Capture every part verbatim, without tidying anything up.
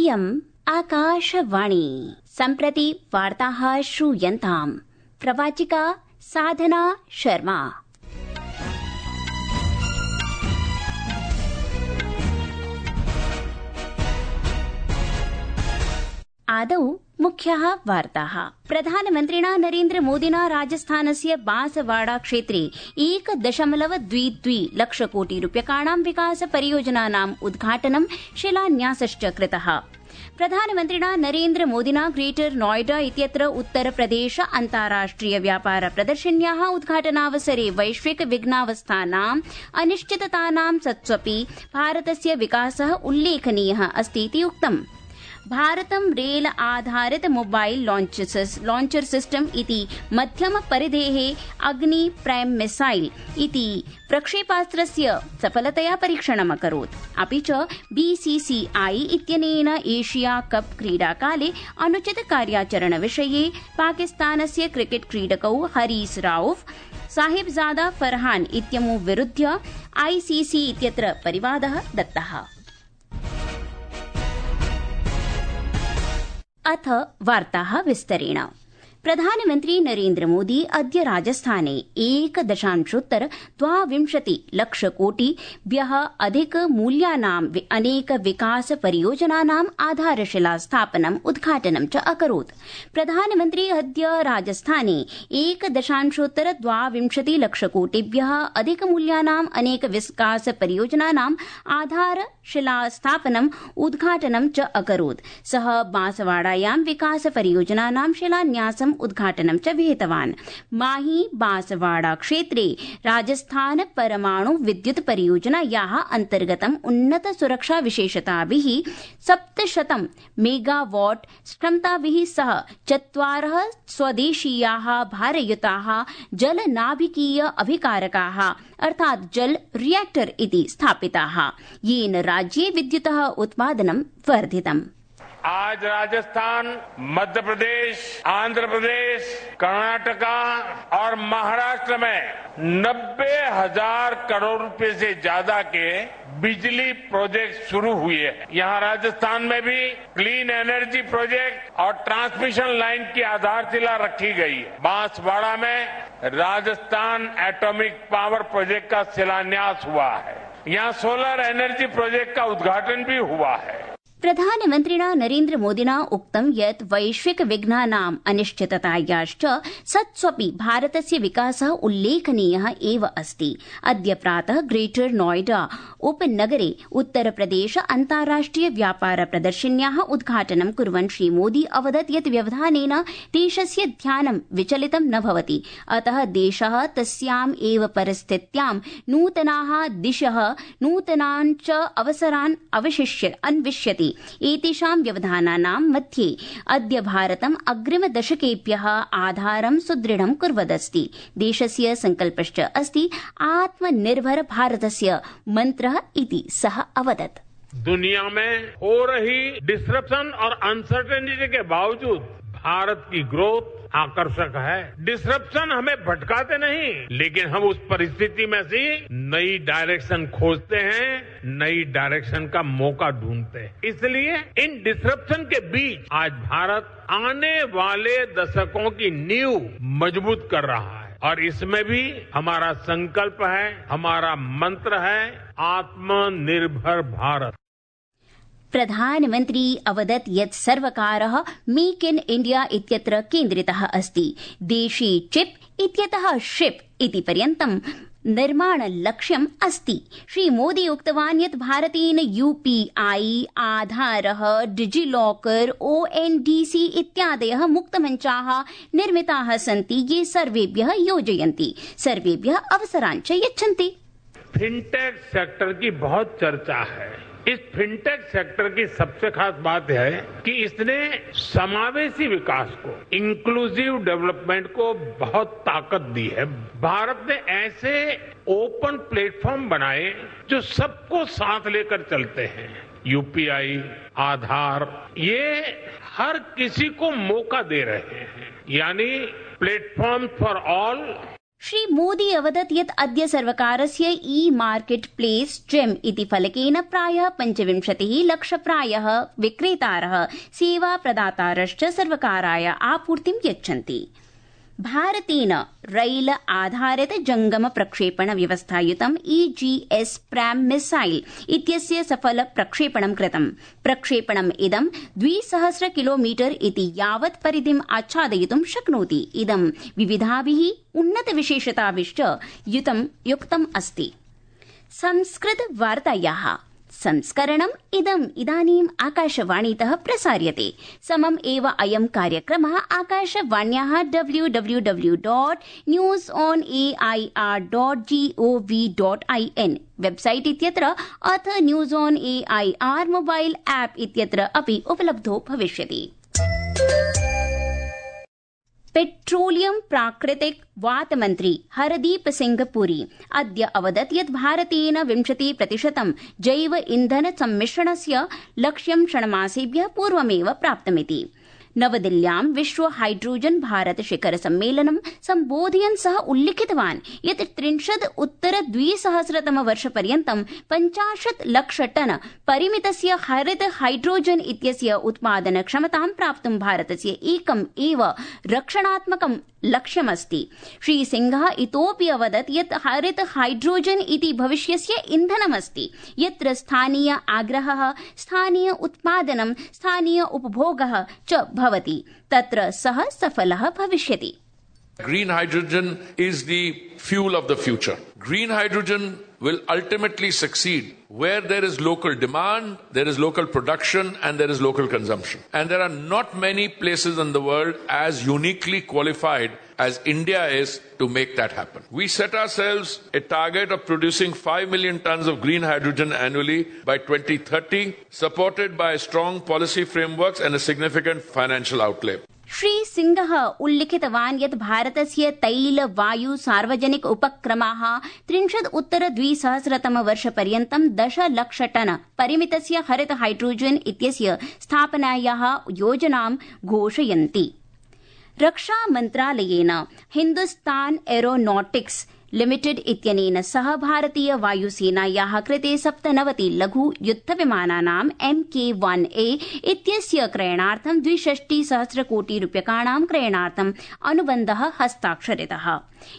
इयम् आकाशवाणी। सम्प्रति वार्ताः श्रूयन्ताम्। प्रवाचिका साधना शर्मा। आदौ मुख्याः वार्ताः। प्रधानमन्त्रिणा नरेन्द्र मोदिना राजस्थानस्य बांसवाड़ा क्षेत्रे एक दशमलव द्वि द्वि लक्ष कोटि रूप्यकाणां विकास परियोजनानाम् उद्घाटनं शिलान्यासश्च कृतः। प्रधानमन्त्रिणा नरेन्द्र मोदिना ग्रेटर नोएडा इत्यत्र उत्तरप्रदेश अन्ताराष्ट्रिय व्यापार प्रदर्शन्याः उद्घाटनावसरे वैश्विक विघ्नावस्थानाम् अनिश्चिततानां सत्त्वपि भारतस्य विकासः उल्लेखनीयः अस्तीति उक्तम्। भारतं रेल आधारित मोबाइल लॉन्चर सिस्टम इति मध्यम परिधेः अग्नि प्राइम मिसाइल इति प्रक्षेपास्त्रस्य सफलतया परीक्षणम् अकरोत्। अपि च बीसीसीआई इत्यनेन एशिया कप क्रीडाकाले अनुचित कार्याचरण विषये पाकिस्तानस्य क्रिकेट क्रीडकौ हरीस राउफ साहिबजादा फरहान इत्यमु विरुध्य आईसीसी इत्यत्र परिवादः दत्तः। अथ वार्ताः विस्तरेण। प्रधानमन्त्री नरेन्द्र मोदी अद्य राजस्थाने एक दशांशोत्तर द्वाविंशति लक्ष कोटिभ्यः अधिक मूल्यानां अनेक विकास परियोजनानाम् आधारशिला स्थापनम् उद्घाटनं च अकरोत्। प्रधानमन्त्री अद्य राजस्थाने एक दशांशोत्तर द्वाविंशति लक्ष कोटिभ्यः अधिक मूल्यानाम् अनेक विकास परियोजनानाम् आधारशिला स्थापनम् उद्घाटनं च अकरोत्। सः बांसवाड़ायां विकास परियोजनानां शिलान्यासं उद्घाटनं च विहितवान्। माही बांसवाड़ा क्षेत्रे राजस्थान परमाणु विद्युत परियोजनायाः अन्तर्गतम् उन्नत सुरक्षा विशेषताभिः सप्तशतं मेगावाट क्षमताभिः सह चत्वारः स्वदेशीयाः भारयुताः जलनाभिकीय अभिकारकाः अर्थात् जल रिएक्टर इति स्थापिताः, येन राज्ये विद्युतः उत्पादनं वर्धितम्। आज राजस्थान, मध्य प्रदेश, आंध्र प्रदेश, कर्नाटका और महाराष्ट्र में नब्बे हजार करोड़ रुपए से ज्यादा के बिजली प्रोजेक्ट शुरू हुए हैं। यहाँ राजस्थान में भी क्लीन एनर्जी प्रोजेक्ट और ट्रांसमिशन लाइन की आधारशिला रखी गई है। बांसवाड़ा में राजस्थान एटॉमिक पावर प्रोजेक्ट का शिलान्यास हुआ है। यहाँ सोलर एनर्जी प्रोजेक्ट का उद्घाटन भी हुआ है। प्रधानमन्त्रिणा नरेन्द्र मोदिना उक्तं यत् वैश्विक विघ्नानाम् अनिश्चिततायाश्च सत्स्वपि भारतस्य विकासः उल्लेखनीयः एव अस्ति। अद्य प्रातः ग्रेटर नोएडा उपनगरे उत्तरप्रदेश अन्ताराष्ट्रिय व्यापार प्रदर्शन्याः उद्घाटनं कुर्वन् श्रीमोदी अवदत् यत् व्यवधानेन देशस्य ध्यानं विचलितं न भवति। अतः देशः तस्याम् एव परिस्थित्यां नूतनाः दिशः नूतनान् च अवसरान् अवशिष्य अन्विष्यति। एतेषां व्यवधानानां मध्ये अद्य भारतम् अग्रिमदशकेभ्यः आधारं सुदृढं कुर्वदस्ति। देशस्य संकल्पश्च अस्ति आत्मनिर्भर भारतस्य मन्त्रः इति सः अवदत्। दुनिया में हो रही डिसरप्शन और अनसर्टेनिटी के बावजूद भारत की ग्रोथ आकर्षक है। डिसरप्शन हमें भटकाते नहीं, लेकिन हम उस परिस्थिति में से नई डायरेक्शन खोजते हैं, नई डायरेक्शन का मौका ढूंढते हैं। इसलिए इन डिसरप्शन के बीच आज भारत आने वाले दशकों की नींव मजबूत कर रहा है और इसमें भी हमारा संकल्प है, हमारा मंत्र है आत्मनिर्भर भारत। प्रधानमन्त्री अवदत् यत् सर्वकारः मेक इन इंडिया इत्यत्र केन्द्रितः अस्ति। देशे चिप इत्यतः शिप इति पर्यन्तं निर्माण लक्ष्यम् अस्ति। श्रीमोदी उक्तवान् यत् भारतेन यूपीआई, आधारः, डिजिलॉकर, ओएनडीसी इत्यादयः मुक्तमञ्चाः निर्मिताः सन्ति, ये सर्वेभ्यः योजयन्ति, सर्वेभ्यः अवसरान् च यच्छन्ति। फिनटेक सेक्टर की बहुत चर्चा है। इस फिनटेक सेक्टर की सबसे खास बात है कि इसने समावेशी विकास को, इंक्लूसिव डेवलपमेंट को बहुत ताकत दी है। भारत ने ऐसे ओपन प्लेटफॉर्म बनाए जो सबको साथ लेकर चलते हैं। यूपीआई, आधार, ये हर किसी को मौका दे रहे हैं, यानी platform for all, Shri Modi अवदत् यत् अद्य सर्वकारस्य ई मार्केट प्लेस जेम इति फलकेन प्रायः पञ्चविंशतिः लक्षप्रायः विक्रेतारः सेवा प्रदातारश्च सर्वकाराय आपूर्तिं यच्छन्ति। भारतेन रैल आधारित जंगम प्रक्षेपण व्यवस्थायुतं E G S prime missile इत्यस्य सफल प्रक्षेपणं कृतम्। प्रक्षेपणम् इदं द्विसहस्र किलोमीटर इति यावत् परिधिम् आच्छादयितुं शक्नोति। इदं विविधाभिः उन्नत विशेषताभिश्च युतं युक्तम् अस्ति। संस्कृत वार्तायाः संस्करणम् इदम् इदानीम् आकाशवाणीतः प्रसार्यते। समम् एव अयं कार्यक्रमः आकाशवाण्याः W W W dot news on A I R dot G O V dot I N website इत्यत्र अथ news on A I R mobile app इत्यत्र अपि उपलब्धो भविष्यति। पेट्रोलियम प्राकृतिक वात मन्त्री हरदीप सिंह पुरी अद्य अवदत् यत् भारतेन विंशति प्रतिशतं जैव ईंधन सम्मिश्रणस्य लक्ष्यं षण्मासेभ्यः पूर्वमेव प्राप्तमिति। नवदिल्ल्यां विश्व हाइड्रोजन भारत शिखर सम्मेलनं सम्बोधयन् सः उल्लिखितवान् यत् त्रिंशत् उत्तर द्विसहस्रतम वर्षपर्यन्तं पञ्चाशत् लक्ष टन परिमितस्य हरित हाइड्रोजन इत्यस्य उत्पादन क्षमतां प्राप्तुं भारतस्य एकम् एव रक्षणात्मकं लक्ष्यमस्ति। श्री सिंहः इतोऽपि अवदत् यत् हरित हाइड्रोजन इति भविष्यस्य ईन्धनमस्ति यत्र स्थानीय आग्रहः, स्थानीय उत्पादनं, स्थानीय उपभोगः च भवति, तत्र सः सफलः भविष्यति। Green hydrogen is the fuel of the future. Green hydrogen will ultimately succeed where there is local demand, there is local production, and there is local consumption. And there are not many places in the world as uniquely qualified as India is to make that happen. We set ourselves a target of producing five million tons of green hydrogen annually by twenty thirty, supported by strong policy frameworks and a significant financial outlay. Shri सिंहः उल्लिखितवान् यत् भारतस्य तैल वायु सार्वजनिक उपक्रमाः त्रिंशत् उत्तर द्विसहस्रतम वर्षपर्यन्तं दश लक्ष टन परिमितस्य हरित हाइड्रोजन इत्यस्य स्थापनायाः योजनां घोषयन्ति। रक्षा मन्त्रालयेन हिन्दुस्तान एरोनॉटिक्स लिमिटेड इत्यनेन सह भारतीय वायुसेनायाः कृते सप्तनवति लघु युद्धविमानानाम् एम के वन ए इत्यस्य क्रयणार्थं द्विषष्टि सहस्र कोटि रूप्यकाणां क्रयणार्थम् अनुबन्धः हस्ताक्षरितः,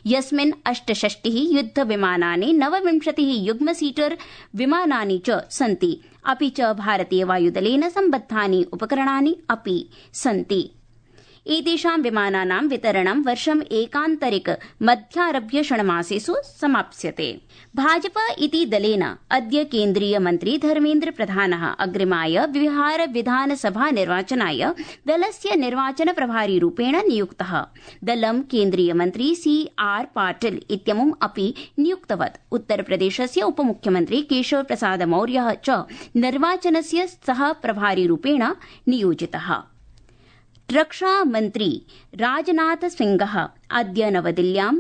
यस्मिन् अष्टषष्टिः युद्धविमानानि, नवविंशतिः युग्म सीटर विमानानि च सन्ति, अपि च भारतीय वायुदलेन सम्बद्धानि उपकरणानि अपि सन्ति। एतेषां विमानानां वितरणं वर्षम् एकान्तरिक मध्यारभ्य षण्मासेषु समाप्स्यते। भाजपा इति दलेन अद्य केन्द्रीय मन्त्री धर्मेन्द्र प्रधानः अग्रिमाय बिहार विधानसभा निर्वाचनाय दलस्य निर्वाचन प्रभारी रूपेण नियुक्तः। दलं केन्द्रीय मन्त्री सी आर पाटिल इत्यमुम् अपि नियुक्तवत्। उत्तरप्रदेशस्य उपमुख्यमन्त्री केशव प्रसाद मौर्यः च निर्वाचनस्य सह प्रभारी रूपेण नियोजितः। रक्षा मन्त्री राजनाथ सिंहः अद्य नवदिल्ल्यां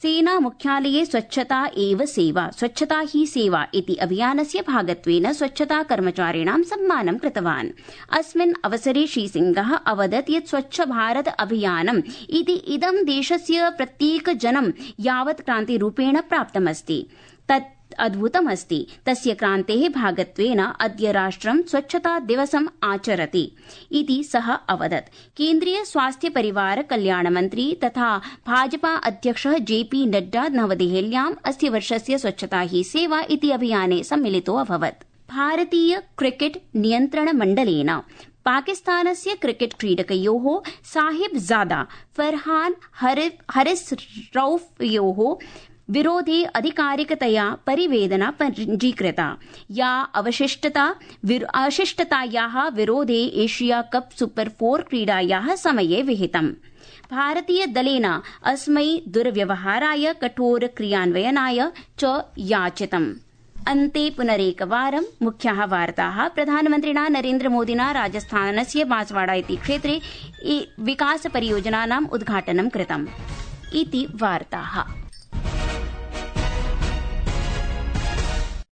सेना मुख्यालये स्वच्छता एव सेवा, स्वच्छता ही सेवा इति अभियानस्य भागत्वेन स्वच्छता कर्मचारिणां सम्मानं कृतवान्। अस्मिन् अवसरे श्रीसिंहः अवदत् यत् स्वच्छ भारत अभियानम् इति इदं देशस्य प्रत्येकजनं यावत् क्रान्तिरूपेण प्राप्तमस्ति तत् अद्भुतमस्ति। तस्य क्रान्तेः भागत्वेन अद्य राष्ट्रं स्वच्छता दिवसम् आचरति इति सः अवदत्। केन्द्रीय स्वास्थ्य परिवार कल्याण मन्त्री तथा भाजपा अध्यक्षः जे पी नड्डा नवदेहल्याम् अस्य वर्षस्य स्वच्छता ही सेवा इति अभियाने सम्मिलितो अभवत्। भारतीय क्रिकेट नियन्त्रण मण्डलेन पाकिस्तानस्य क्रिकेट क्रीडकयोः साहिबजादा फरहान हरिस रऊफयोः विरोधे अधिकारिकतया परिवेदना पञ्जीकृता, या अवशिष्टता अशिष्टतायाः विरोधे एशिया कप सुपर फोर क्रीडायाः समये विहितम्। भारतीय दलेन अस्मै दुर्व्यवहाराय कठोर क्रियान्वयनाय च याचितम्। अन्ते पुनरेकवारं मुख्याः वार्ताः। प्रधानमन्त्रिणा नरेन्द्र मोदिना राजस्थानस्य बांसवाड़ा इति क्षेत्रे विकास परियोजनानाम् उद्घाटनं कृतम् इति वार्ताः।